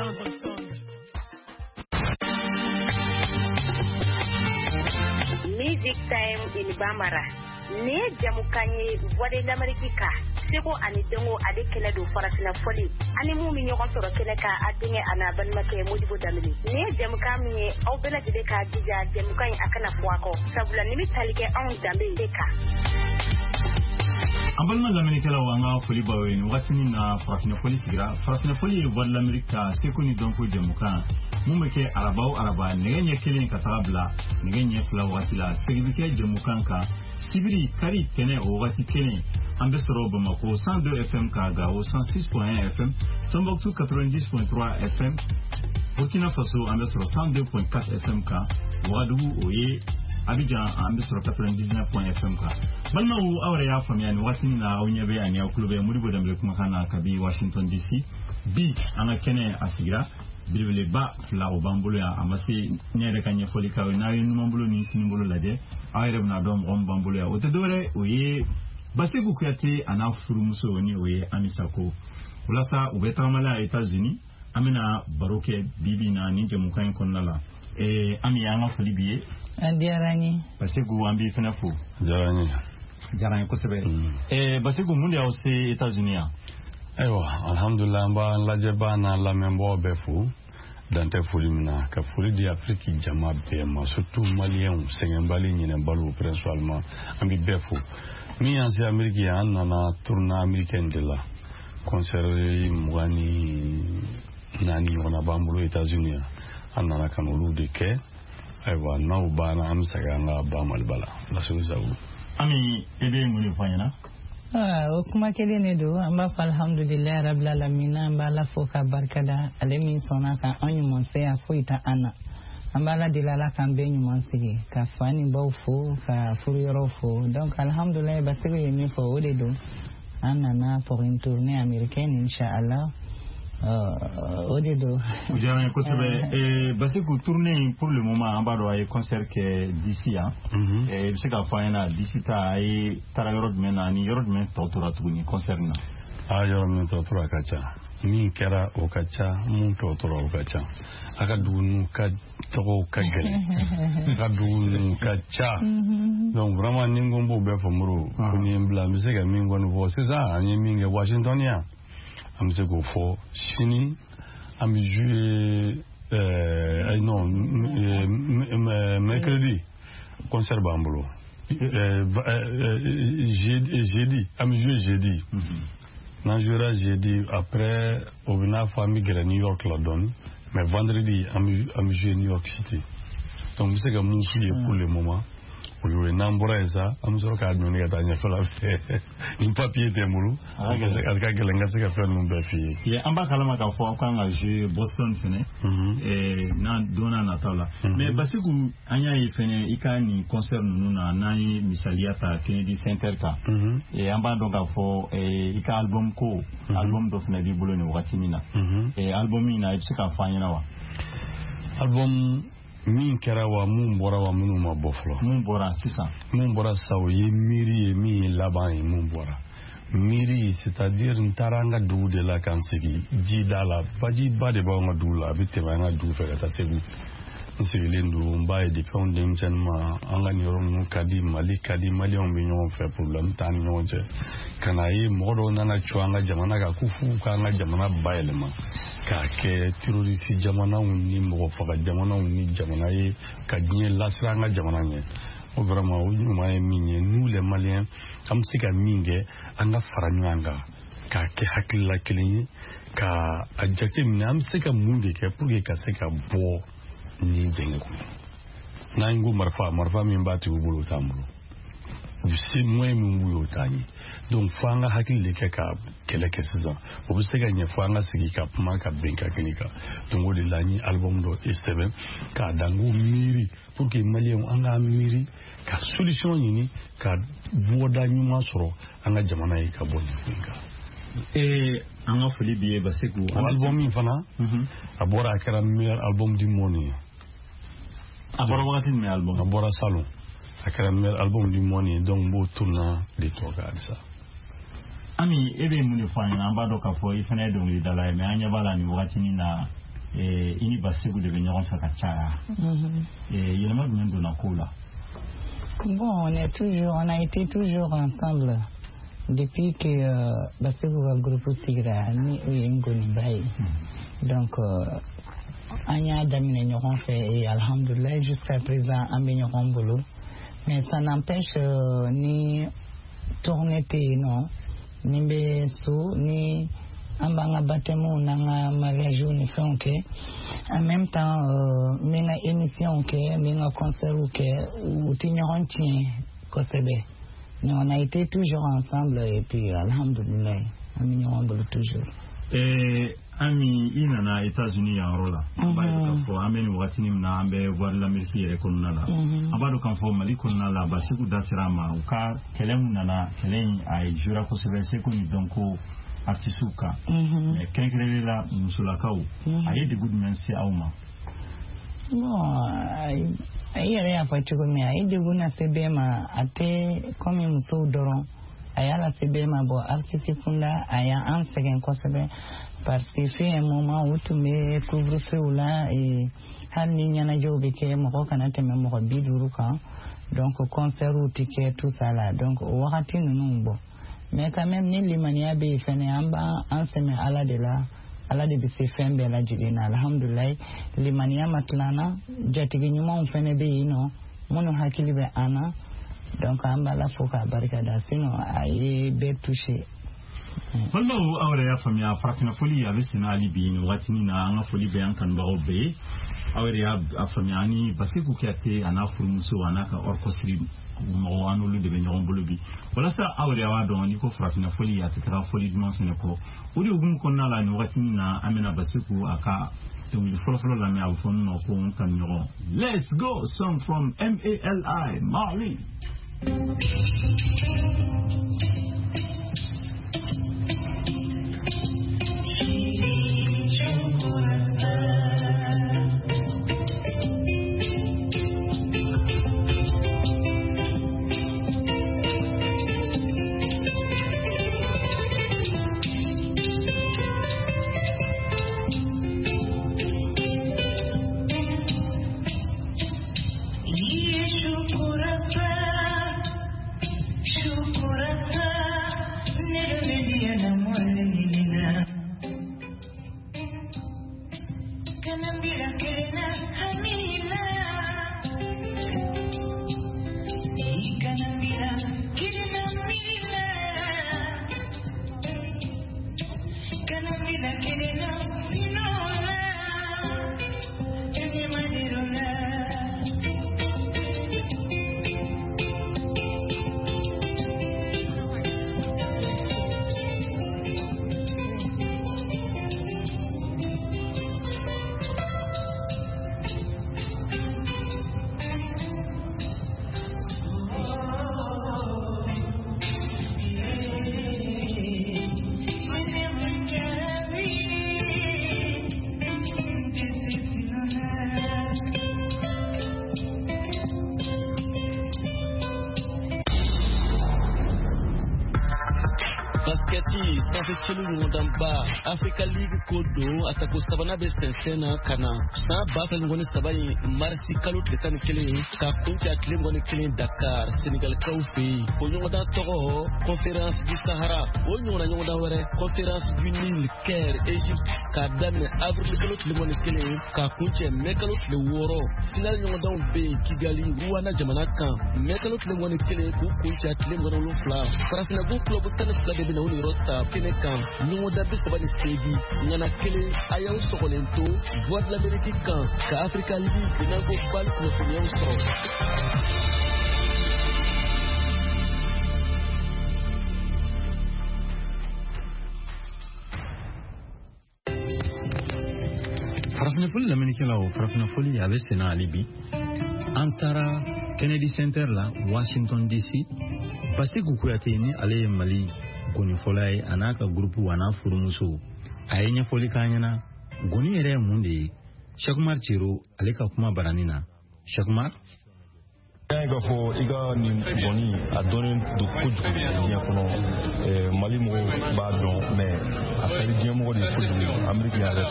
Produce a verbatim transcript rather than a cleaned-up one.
Music Time in Bambara. Nin ye jamukan ye Voix de l'Amérique kan seko ani dɔnko ale kɛnɛ don farafinna fɔli ani mun bɛ ɲɔgɔn sɔrɔ kɛnɛ kan a denkɛ a n'a balimakɛ Modibo Danbele. Nin ye jamukan min ye aw bɛɛ lajɛlen k'a jija jamukan in a kana fɔ a kɔ sabula nin bɛ tali kɛ anw danbe de kan. An balima lamɛnnikɛlaw, an ka foli b'aw ye nin wagatinin na. Farafinna fɔli sigira. Farafinna fɔli ye Voix de l'Amérique ka seko ni dɔnko jɛmukan mun bɛ kɛ araba o araba nɛgɛ ɲɛ kelen ka taga bila nɛgɛ ɲɛ fila wagati la. Segin bɛ kɛ jɛmukan kan sibiri, kari, tɛnɛ o wagati kelen. An bɛ sɔrɔ Bamako cent deux F M ka, Gao cent six point un F M, Tombouctou quatre-vingt-dix point trois F M, Burkina Faso an bɛ sɔrɔ cent deux point quatre F M kan, Ouagadougou o ye Abidjan an bɛ sɔrɔ quatre-vingt-dix-neuf F M kan. Balimaw, aw yɛrɛ y'a faamuya nin wagatinin na aw ɲɛ bɛ ani aw tulo bɛ Modibo Danbele kumakan na kabi Washington D C. Bi an ka kɛnɛ a sigira, belebeleba fila o b'an bolo yan. A ma se ne yɛrɛ ka ɲɛfɔli k'aw ye. N'aw ye numan bolo ni kinin bolo lajɛ, aw yɛrɛ bɛna dɔn mɔgɔ min b'an bolo yan. O tɛ dɔwɛrɛ, o ye Baseku Kuyate a n'a furumuso ni o ye Ami Sako. Walasa u bɛ tagama la États-Unis, an bɛna baro kɛ bi bi na nin jɛmukan in kɔnɔna la. Eh, Ami, an ka foli b'i ye. A diyara n ye. Baseku, an b'i fɛnɛ fo. Diyara n ye. Diyara n ye kosɛbɛ. Eh, Baseku, mun de y'aw se États-Unis yan? Ayiwa, alhamdulilah, an b'an lajɛbaa n'an lamɛnbagaw bɛɛ fo dan tɛ foli min na, ka foli di Afiriki jama bɛɛ ma, surtout Maliyɛnw, sɛgɛnbali ɲinɛbaliw principalement, an bɛ bɛɛ fo. Min y'an se Ameriki yan, an nana tournée américaine de la, concert mugan ni naani ɲɔgɔnna b'an bolo États-Unis yan. An nana ka n'olu de kɛ. Ayiwa, n'aw banna, an bɛ segin an ka ba Maliba la. Laseli sago. Ami, e bɛ mun de fɔ an ɲɛna? Ah, o kuma kelen de don. An b'a fɔ alhamdulilayi rabbil alamina. An b'Ala fo ka barikada, ale min sɔnna ka an ɲuman se yan, foyi tɛ an na. An b'Ala deli, Ala k'an bɛɛ ɲuman sigi, ka fa ni baw fo, ka furuyɔrɔw fo. Donc alhamdulilayi, Basiru ye min fɔ, o de don. An nana pour une tournée américaine, inchallah. Euh, o de don. O diyara n ye kosɛbɛ. Eh, Basiku, tournée in, pour le moment an b'a dɔn a ye concert kɛ D C yan. Eh, i bɛ se k'a fɔ an ɲɛna D C ta a ye taara yɔrɔ jumɛn na ani yɔrɔ jumɛn tɔ tora tuguni concert in na? A yɔrɔ min tɔ tora a ka ca, min kɛra o ka ca, mun tɔ tora o ka ca. A ka dugu ninnu ka tɔgɔw ka gɛlɛn, a ka dugu ninnu ka ca. Donc vraiment, ni n ko n b'o bɛɛ fɔ, Moro, ko ni ye n bila, n bɛ se ka min kɔni fɔ sisan, an ye min kɛ Washington yan, an bɛ se k'o fɔ. Sini an bɛ jouer, euh, non, euh, mercredi concert b'an bolo, euh, euh, jeudi, jeudi an bɛ jouer jeudi. N'an jouera jeudi, après o bɛ n'a fɔ an bɛ gɛrɛ New York la dɔɔni, mais vendredi an bɛ an bɛ jouer New York City. Donc n bɛ se ka mun f'u ye pour le moment, o y'o ye. N'an bɔra yen sa, an bɛ sɔrɔ k'a dɔnni ka taa ɲɛfɛla fɛ. Ni papier tɛ n bolo, a ka gɛlɛn n ka se ka fɛn ninnu bɛɛ f'i ye. Ye, an b'a kalama k'a fɔ aw kan ka jouer Boston fɛnɛ n'a don n'a nataw la. Mais Basiku, an y'a ye fɛnɛ i ka nin concert ninnu na, n'an ye misaliya ta Kennedy Center kan, an b'a dɔn k'a fɔ i ka album ko album dɔ fɛnɛ b'i bolo nin wagati min na. Album min na, i bɛ se k'a fɔ an ɲɛna wa? Album min kɛra wa, mun bɔra wa, minnu ma bɔ fɔlɔ? Mun bɔra sisan? Mun bɔra sisan, o ye miiri ye, min ye laban ye. Mun bɔra miiri, c'est à dire n taara an ka dugu de la k'an sigi jida la. Bajiba de b'anw ka dugu la, a bɛ tɛmɛ an ka dugu fɛ ka taa Segu. N sigilen don, n b'a ye depuis anw denmisɛnnin ma, an ka nin yɔrɔ ninnu ka di, Mali ka di, Maliyɛnw bɛ ɲɔgɔn fɛ, problème t'an ni ɲɔgɔn cɛ. Ka na ye mɔgɔ dɔw nana cɔ an ka jamana kan ko f'u k'an ka jamana bayɛlɛma k'a kɛ terroriste jamanaw ni mɔgɔ faga jamanaw ni jamana ye ka diɲɛ lasira an ka jamana ɲɛ. O vraiment, o ɲuman ye min ye, nous les Maliens, an bɛ se ka min kɛ, an ka fara ɲɔgɔn kan k'a kɛ hakilila kelen ye, ka a jate minɛ an bɛ se ka mun de kɛ pour que ka se ka bɔ nin dingɛ kɔnɔ. N'an ko marifa, marifa min b'a tigiw bolo, o t'an bolo, u bɛ se moyen min b'u ye, o t'an ye. Donc fo an ka hakili de kɛ ka kɛlɛ kɛ sisan. O bɛ se ka ɲɛ fo an ka sigi ka kuma ka bɛn ka kelen kan. Donc o de la n ye album dɔ sɛbɛn k'a da n ko miiri, pour que Maliyɛnw an k'an miiri ka solution ɲini ka bɔda ɲuman sɔrɔ an ka jamana ye ka bɔ nin ko in kan. Ee, an ka foli b'i ye, Basiku. O album min fana, a bɔra, a kɛra meilleur album du monde ye. A bɔra wagati jumɛn, album? A bɔra salon, a kɛra meilleur album du monde ye. Donc n b'o tourna de tɔ kan halisa. Ami, e bɛ mun de fɔ an ɲɛna? An b'a dɔn k'a fɔ i fana ye dɔnkilidala ye, mais an ɲɛ b'a la nin wagatinin na. I ni Baseku de bɛ ɲɔgɔn fɛ ka caya. Yɛlɛma jumɛn donna kow la? Bon, on est toujours, on a été toujours ensemble depuis que euh, Baseku ka groupe sigira ni o ye Ngoniba ye. Donc euh, an y'a daminɛ ɲɔgɔn fɛ et alhamdoulilah, jusqu'à présent an bɛ ɲɔgɔn bolo. Mais ça n'empêche euh, ni tournée tɛ yen nɔ, ni n bɛ so, ni an b'an ka baptême n'an ka mariage ni fɛnw kɛ, en même temps euh, n bɛ n ka émission kɛ, n bɛ n ka concert kɛ, u tɛ ɲɔgɔn tiɲɛ kosɛbɛ. Mais on a été toujours ensemble et puis alhamdoulilah, an bɛ ɲɔgɔn bolo toujours. Eh, Ami, i nana États-Unis yan yɔrɔ la, an b'a ye k'a fɔ an bɛ nin wagatinin min na, an bɛ Voix de l'Amérique yɛrɛ kɔnɔna la. An b'a dɔn k'a fɔ Mali kɔnɔna la, Baseku da sera a ma, u ka kɛlɛ min nana, kɛlɛ in a ye jouera kosɛbɛ seko ni dɔnko artisiw kan, mais kɛrɛnkɛrɛnnen la musolakaw, a ye degun jumɛn se aw ma? Bon, i yɛrɛ y'a fɔ cogo min, a ye degun lase bɛɛ ma, a tɛ komi musow dɔrɔn, a y'a lase bɛɛ ma. Bon, artiste kunda a y'an sɛgɛn kosɛbɛ parce que fut un moment u tun bɛ couvre-feu la, hali ni ɲɛnajɛw bɛ kɛ, mɔgɔ kana tɛmɛ mɔgɔ bi duuru kan, donc concert tɛ kɛ, tout ça la. Donc o wagati ninnu, bɔ, mais quand même ni limaniya bɛ yen fɛnɛ, an b'an sɛmɛ Ala de la, Ala de bɛ se fɛn bɛɛ lajɛlen na. Alhamdulilayi, limaniya ma tila an na, jatigi ɲumanw fɛnɛ bɛ yen nɔ minnu hakili bɛ an na, donc an b'Ala fo k'a barika da, sinon a ye bɛɛ touché. Balimaw, aw yɛrɛ y'a faamuya, farafinna foli a bɛ senna hali bi nin wagatinin na. An ka foli bɛ an kanubagaw bɛɛ ye. Aw yɛrɛ y'a faamuya, ani Baseku Kuyate a n'a furumuso a n'a ka orchestre mɔgɔw, an n'olu de bɛ ɲɔgɔn bolo bi. Walasa aw yɛrɛ b'a dɔn, n'i ko farafinna foli, a tɛ taga fɔli duman fɛnɛ kɔ. O de hukumu kɔnɔna la, nin wagatinin na, an bɛna Baseku a ka dɔnkili fɔlɔfɔlɔ lamɛn, a bɛ fɔ min ma ko n kanuɲɔgɔn. Let's go, song from M A L I, Mali. Basketi sanfɛ celu ɲɔgɔndanba Africa League ko don, a tako sabanan bɛ sɛnsɛn na ka na san ba fila ni mugan ni saba in marisi kalo tile tan ni kelen ka kuncɛ a tile mugan ni kelen Dakar, Senegalikaw fɛ yen. O ɲɔgɔndan tɔgɔ Conférence du Sahara. O ɲɔgɔnna ɲɔgɔndan wɛrɛ, Conférence du Nil, Caire, Égypte, k'a daminɛ avril kalo tile mugan ni kelen k'a kuncɛ mɛ kalo tile wɔɔrɔ. Finale ɲɔgɔndanw bɛ yen Kigali, Rwanda jamana kan, mɛ kalo tile mugan ni kelen k'u kuncɛ a tile mugan ni wolonfila. Farafinna club tan ni fila de bɛna o niyɔrɔ ta kɛnɛ kan, ɲɔgɔndan bi saba ni seegin ŋana kelen. A y'aw sɔgɔlen to Voix de l'Amérique kan ka Africa League n'an ko BAL kunnafoniyaw sɔrɔ. Farafinna foli lamɛnnikɛlaw, farafinna foli a bɛ senna hali bi. An taara Kennedy Center la, Washington D C. Baseku Kuyate, ni ale ye Mali gɔnifɔla ye, a n'a ka groupe a n'a furumuso, a ye ɲɛfɔli k'an ɲɛna gɔni yɛrɛ ye mun de ye. Cheikh Cero, ale ka kuma barani na. Cheikh. Y'a ye k'a fɔ i ka nin gɔni a dɔnnen don kojugu diɲɛ kɔnɔ. Mali mɔgɔw b'a dɔn, mais a ka di diɲɛ mɔgɔ de ye kojugu, Ameriki yɛrɛ.